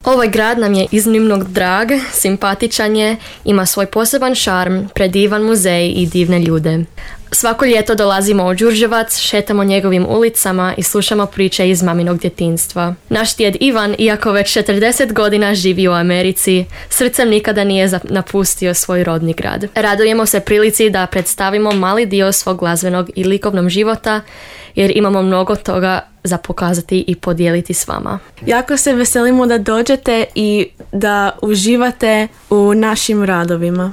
Ovaj grad nam je iznimno drag, simpatičan je, ima svoj poseban šarm, predivan muzej i divne ljude. Svako ljeto dolazimo u Đurđevac, šetamo njegovim ulicama i slušamo priče iz maminog djetinjstva. Naš djed Ivan, iako već 40 godina živi u Americi, srcem nikada nije napustio svoj rodni grad. Radujemo se prilici da predstavimo mali dio svog glazbenog i likovnog života, jer imamo mnogo toga za pokazati i podijeliti s vama. Jako se veselimo da dođete i da uživate u našim radovima.